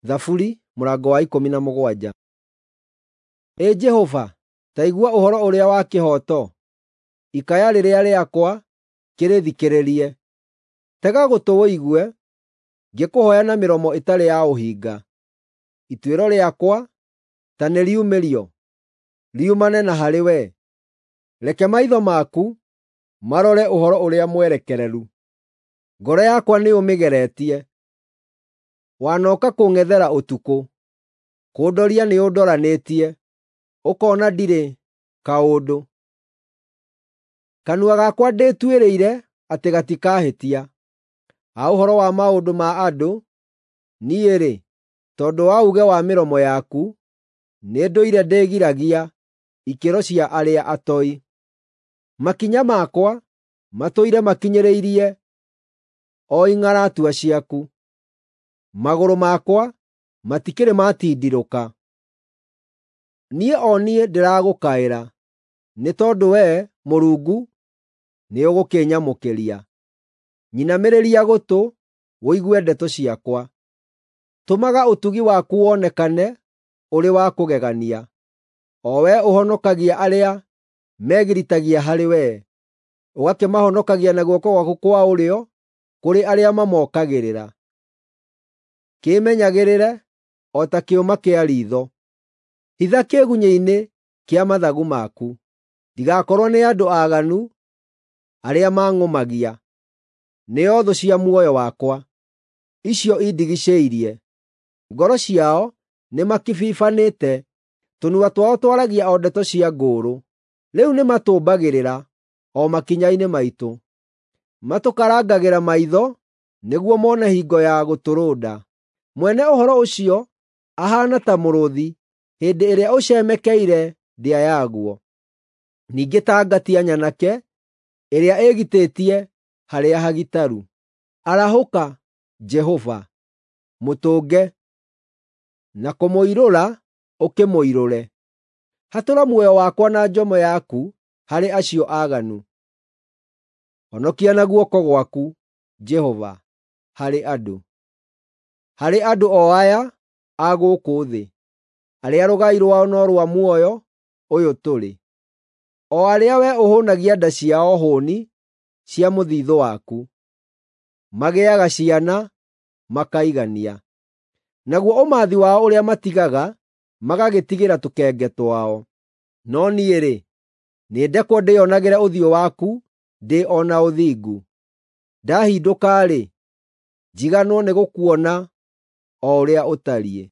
Thaburi mũrango wa 17. Ĩ Jehova, ta igua ũhoro ũrĩa wa kĩhooto, ikaya rĩrĩa rĩakwa kĩrĩthikĩrĩrie. Tega gũtũ ũigue ngĩkũhooya na mĩromo ĩtarĩ ya ũhinga. Ituĩro rĩakwa ta nĩriumĩrio, riumane na harĩwe. Reke maitho maku marore ũhoro ũrĩa mwerekereru. Ngoro yakwa nĩũmĩgeretie. Wanooka kũng'ethera ũtukũ, kũndoria nĩũndoranĩtie, ũkoona ndirĩ kaũndũ. Kanua gakwa ndĩtuĩrĩire atĩ gatikahĩtia. Ha ũhoro wa maũndũ ma andũ, niĩ-rĩ, tondũ wa uuge wa mĩromo yaku, nĩndũire ndĩgiragia ikĩro cia arĩa atoi. Makinya makwa matũire makinyĩrĩirie o ing'aratua ciaku; magũrũ makwa matikĩrĩ matindirũka. Niĩ o niĩ ndĩragũkaĩra, nĩ tondũ Wee, Mũrungu, nĩũgũkĩnyamũkĩria. Nyinamĩrĩria gũtũ ũigue ndeto ciakwa. Tũmaga ũtugi waku wonekane ũrĩ wa kũgegania, o Wee ũhonokagia arĩa megiritagia harĩ wee, ũgakĩmahonokagia na guoko gwaku kwa ũrĩo kũrĩ arĩa mamookagĩrĩra. Kĩĩmenyagĩrĩre o ta kĩũma kĩa riitho; hitha kĩĩgunyĩ-inĩ kĩa mathagu maku, ndigakorwo nĩ andũ aaganu arĩa mang'ũmagia, nĩo thũ cia muoyo wakwa, icio indigicĩirie. Ngoro ciao nĩmakibibanĩte, tũnua twao twaragia o ndeto cia ngũũrũ. Rĩu nĩmatũmbagĩrĩra o makinya-inĩ maitũ, matũkarangagĩra maitho nĩguo mone hingo ya gũtũrũnda. Mwene ũhoro ũcio ahaana ta mũrũũthi hĩndĩ ĩrĩa ũcemekeire ndĩa yaguo, ningĩ ta ngatia nyanake ĩrĩa ĩĩgitĩtie harĩa hagitaru. Arahũka, Jehova, mũtũnge, na kũmũirũra ũkĩmũirũre. Hatũra muoyo wakwa na njomo yaku harĩ acio aaganu. Honokia na guoko gwaku, Jehova, harĩ andũ, harĩ andũ o aya a gũkũ thĩ, arĩa rũgai rwao no rwa muoyo ũyũ tũrĩ, o arĩa wee ũhũũnagia nda ciao hũũni cia mũthiithũ waku. Magĩaga ciana makaigania, naguo ũmathi wao ũrĩa matigaga magagĩtigĩra tũkenge twao. No niĩ-rĩ, nĩndekwo ndĩĩonagĩre ũthiũ waku ndĩ o na ũthingu. Ndahindũka-rĩ, njiganwo nĩgũkuona o ũrĩa ũtariĩ.